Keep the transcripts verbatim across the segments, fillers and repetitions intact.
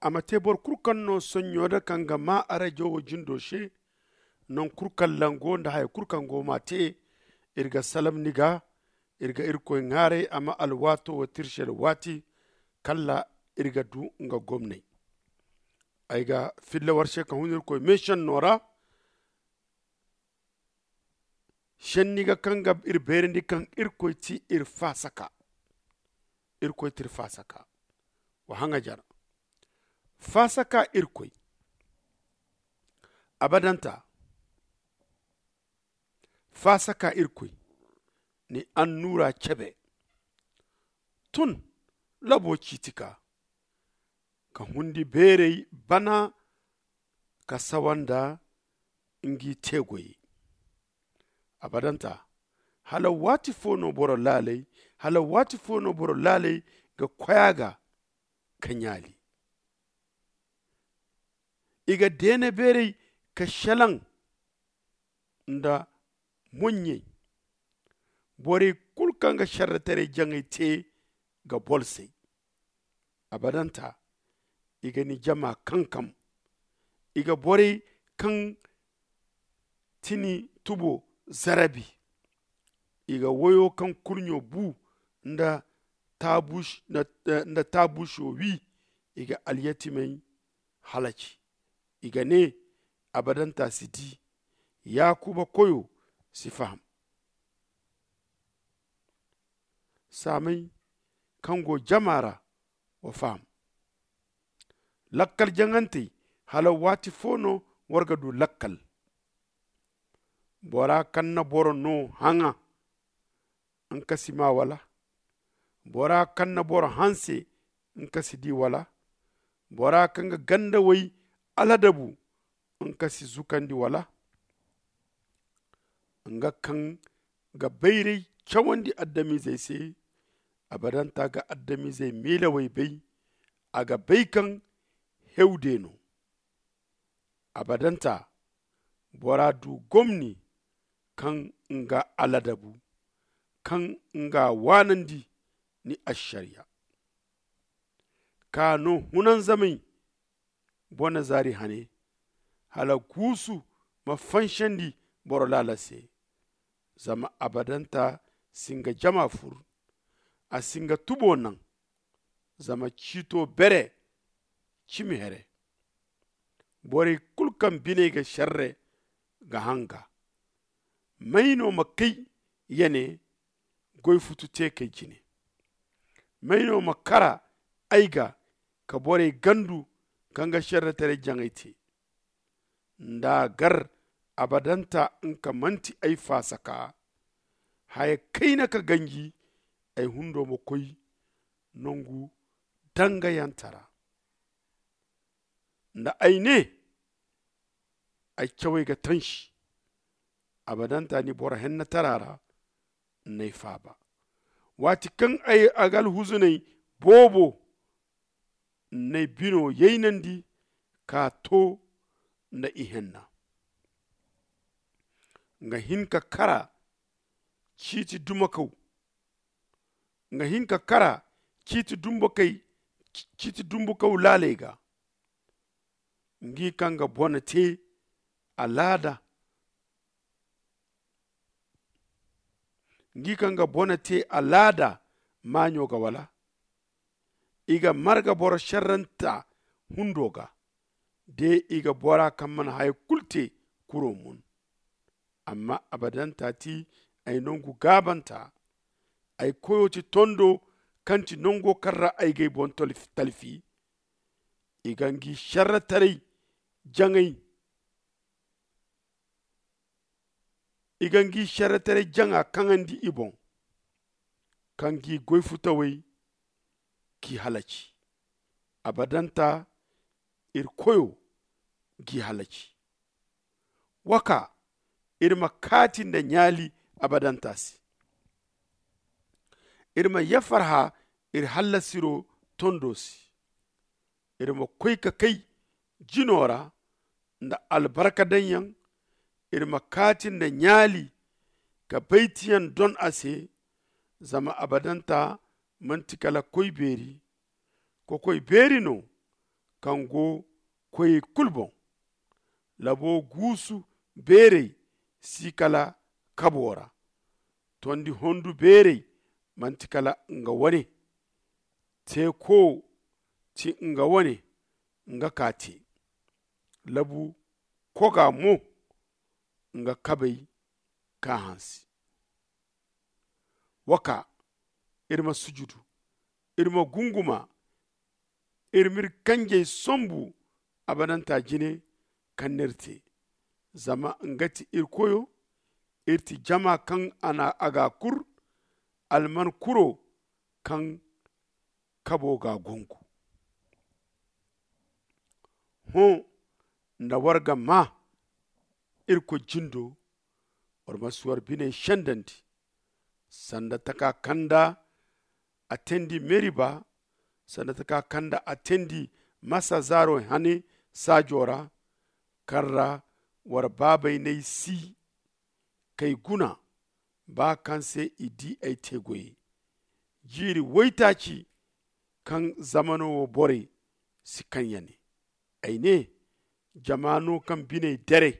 A ma te boro kulu kaŋ no soɲɲo da kaŋ ga maa arajo wo jindo se. Nangu kulu kaŋ lango nda haya kulu kaŋ go ma te, iri ga salam ni ga. Iri ga irkoy ŋwaaray a ma alwaato wo tirsel waati kala iri ga du nga gomnay. Ay ga filla war se ka hun irkoy meesenno ra. Senni ga kaŋ ga iri beerandi kaŋ irkoy ti iri faasaka. Irkoy ti iri faasaka. Wa haŋajar faasaka irkoy. Abadanta faasaka irkoy ni annuura cebe. Tun labo ciiti ka ka hundi beeray bana ka sawa nda ngi teegoyey. Abadanta hala waati fo no boro laaley hala waati fo no boro laaley ga koy a ga ka ɲaali. I ga deene beeray ka selaŋ nda moɲɲey. Borey kulu kaŋ ga šerretaray jaŋay te ga bolsay. Abadanta i ga ni jama kankam. I ga borey kaŋ ti ni tubo zarabi. I ga woyo kaŋ kurɲo bu nda taabuuso wi. I ga alyatimey halaci. I ga ne, abadanta si di. Yaakuba koyo si faham. Saamey kaŋ go jama ra wa faham. Lakkal jaŋantey hala waati fo no war ga du lakkal. Bora kaŋ na boro no haŋa nga si maa wala? Bora kaŋ na boro hanse nga si di wala? Bora kaŋ ga gandawey aladabu nga si zukandi wala? Nga kaŋ ga bayray cawandi adamizey se. Abadanta ga adamizey miilawey bay. A ga bay kaŋ hewde no. Abadanta bora du gomni kaŋ nga aladabu kaŋ nga waanandi ni ašariya. Ka no hunanzamey bone zaari hane hala guusu ma fansandi boro laala se. Zama abadanta si nga jama fur. A si nga tubo naŋ. Zama ciito bere cimi here. Borey kulu kaŋ biney ga šerre ga haŋ ga. May no ma kay ya ne goy futu te kay jine? May no ma kara ay ga ka borey gandu kaŋ ga šerretaray jaŋay te? Nda a gar abadanta nga manti ay faasaka. Haya kayna ka ganji ay hundo ma koy nangu dangayantara. Nda ay ne ay cawey ga tansi. Abadanta ni boro hennatara ra n'ay faaba. Waati kaŋ ay ga alhuzuney boobo n'ay bino yaynandi ka to nda ihenna. Nga hin ka kara ciiti dumakaw nga hin ka kara ciiti dumbakaw laaley ga. Ngi kaŋ ga bone te alaada ngi kaŋ ga bone te alaada maaɲo ga wala? I ga marga boro šerranta hundo ga. De i ga bora kaŋ mana haya kulu te kuro mun. Amma abadanta ti ay nangu gaabanta. Ay koyo ti tondo kaŋ ti nango kaŋ ra ay g'ay boŋ talfi. I ga ngi šerretaray jaŋay i ga ngi šerretaray jaŋa kaŋandi i boŋ ka ngi goy futawey k'i halaci. Abadanta iri koyo g'i halaci. Wa kaa iri ma kaati nda ɲaali abadanta se. Iri ma yafarha iri hallasiro tondo se. Iri ma koy ka kay jino ra nda albarka daŋyaŋ. Iri ma kaati nda ɲaali ka baytiyaŋ don a se. Zama abadanta manti kala koy beeri. Kokoy beeri no kaŋ go koyey kulu boŋ. Labo guusu beerey si kala kabo ra. Tondi hondu beerey manti kala nga wane. Teeko ti nga wane, nga ka te. Labu koga mo, nga kabey ka hansi. Wa kaa, iri ma sujudu, iri ma gunguma, iri m'iri kanjey sombu abadanta jine kaŋ n'iri te. Zama nga ti iri koyo, iri ti jama kaŋ a ga kur, alman kuro kaŋ kabo ga gongu. Hõ, nda war ga maa irkoy jindo, war ma si war biney sendandi, sanda taka kaŋ nda a teendi meriba, sanda taka kaŋ nda a teendi masa zaaro hane saajo ra, kaŋ ra war baabey n'ay si k'ay guna, ba kaŋ se i di ay te goyey. Jiiri waytaaci kaŋ zamano wo borey si kaŋ ya ne, ay ne, jama no kaŋ biney dere,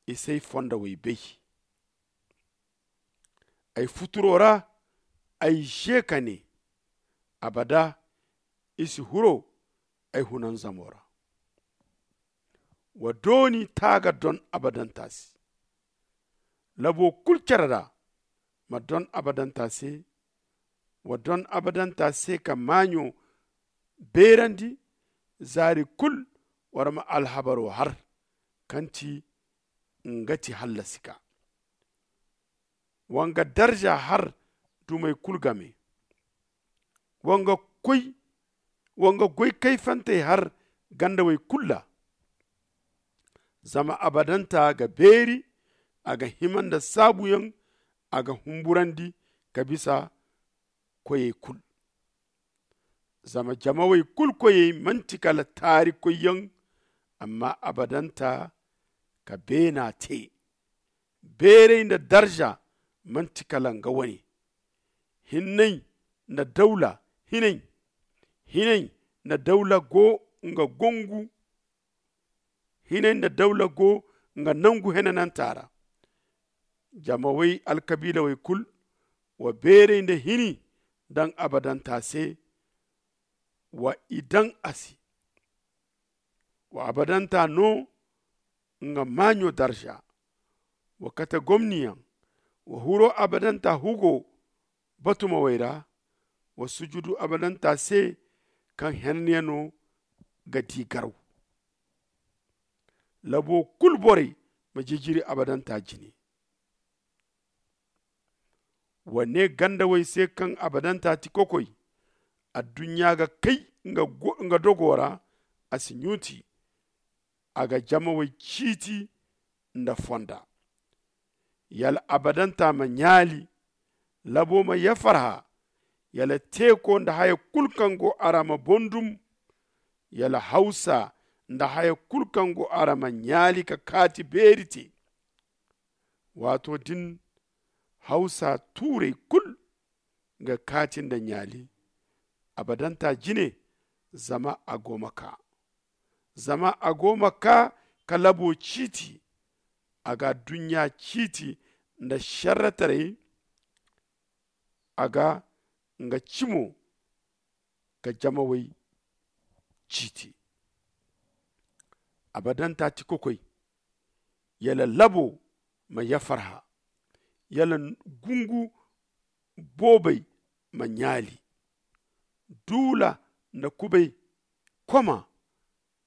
i s'ay fondawey bay. Ay futuro ra ay ze ka ne, abada i si huro ay hunanzamo ra. Wa dooni taaga don abadanta se. Labo kulu care ra ma don abadanta se. Wa don abadanta se ka maaɲo beerandi. Zaari kulu war ma alhabaro har, kaŋ ti nga ti hallasi ka. Wa nga darza har dumey kulu game. Wa nga goy kayfantey har gandawey kulu ra. Zama abadanta ga beeri, a ga hima nda saabuyaŋ, a ga humburandi ka bisa koyey kulu. Zama jamawey kulu koyey manti kala taarikoyyaŋ, amma abadanta ka beena te. Beeray nda darza manti kala nga wane. Hinay nda dawla hinay hinay nda dawla go nga gongu hinay nda dawla go nga nangu henananta ra. Jamawey alkabiilawey kulu wa beeray nda hini daŋ abadanta se. Wa i daŋ a se. Wa abadanta no nga maaɲo darza. Wa kate gomniyaŋ. Wa huro abadanta hugo batumawey ra. Wa sujudu abadanta se kaŋ henanyano ga di garaw. Labo kulu borey ma jijiri abadanta jine. Wa ne gandawey se kaŋ abadanta ti kokoy. Adduɲɲa ga kay nga dogo ra. A si ɲuuti. A ga jamawey ciiti nda fonda. Yala abadanta ma ɲaali. Labo ma yafarha. Yala teeko nda haya kulu kaŋ go a ra ma bondum. Yala hawsa nda haya kulu kaŋ go a ra ma ɲaali ka kaati beeri te. Waato din hawsa tuurey kulu ga kaati nda ɲaali abadanta jine. Zama a go ma kaa zama a go ma kaa ka labo ciiti. A ga adduɲɲa ciiti nda šerretaray. A ga nga cimo ka jamawey ciiti. Abadanta ti kokoy. Yala labo ma yafarha. Yala gungu boobey ma ɲaali. Duula nda kubay koma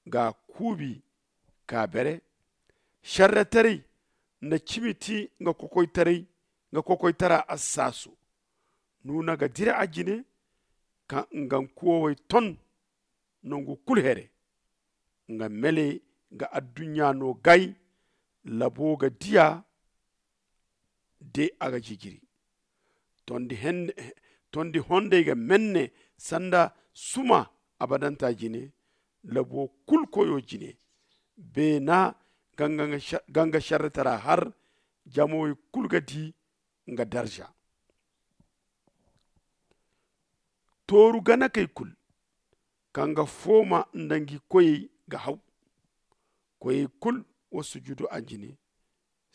ga kuubi ka bere. Šerretaray nda cimi ti nga kokoytara assaaso. Nuuna ga dira a jine ka nga nkuwawey ton nangu kulu here. Nga mele ga adduɲɲa no gay. Labo ga diya de a ga jijiri. Tondi hondey ga menne sanda suma abadanta jine. Labo kulu koyo jine beena ga nga šerretara har. Jamawey kulu ga di nga darza. Tooru ganakey kulu kaŋ ga fooma nda ngi koyey ga haw. Koyey kulu wa sujudu a jine.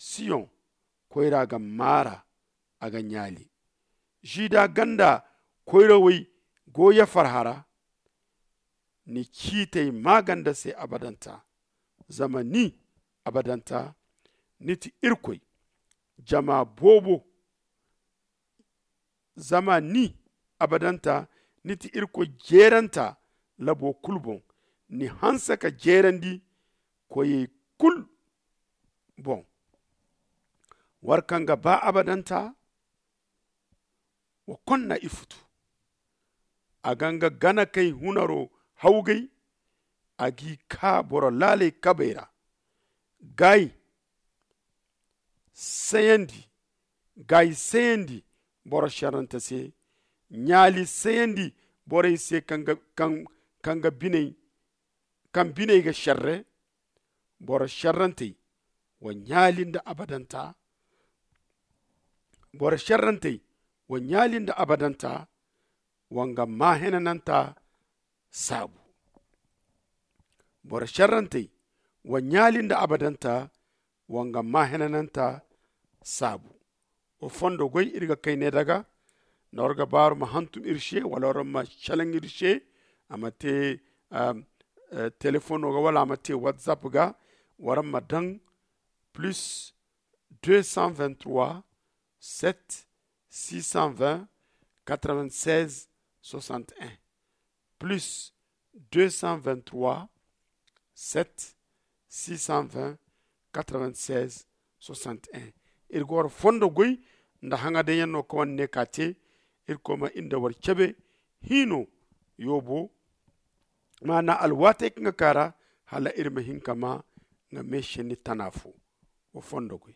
Siyoŋ koyra ga maara, a ga ɲaali. Žida ganda koyrawey go ya farhara. Ni ciitey maaganda se abadanta. Zama ni abadanta ni ti irkoy. Jama boobo zama ni abadanta ni ti irkoy jeeranta. Labo kulu boŋ ni hanse ka jeerandi koyey kulu boŋ. War kaŋ ga ba abadanta wa konna ifutu. A ga nga ganakey hunaro hawgay. A g'i kaa boro laaley kabey ra. Gay sayandi gay sayandi boro šerrante se. Ɲaali sayandi borey se kaŋ ga biney ga šerre. Boro šerrantey wa ɲaali nda abadanta. Boro šerrantey wa ɲaali nda abadanta. Wa nga maahenananta saabu. Boro šerrantey wa ɲaali nda abadanta. Wa nga maahenananta saabu. Wa fondo goy iri ga kay ne daga nda war ga baaru ma hantum iri se wala war ma šelaŋ iri se. A ma te telefono ga wala a ma te whatsapp ga. War ma daŋ plus deux cent vingt-trois sept six cent vingt quatre-vingt-seize soixante-un. Plus deux cent vingt-trois sept six cent vingt quatre-vingt-seize soixante-un. Iri ga war fondo goy nda haŋa daŋ yaŋ no kaŋ war ne ka te. Iri koy ma iri nda war cebe hiino yoobo maana alwaatey kaŋ ga kaara hala iri ma hin ka ma nga meesenni tana fo. Wa fondo goy.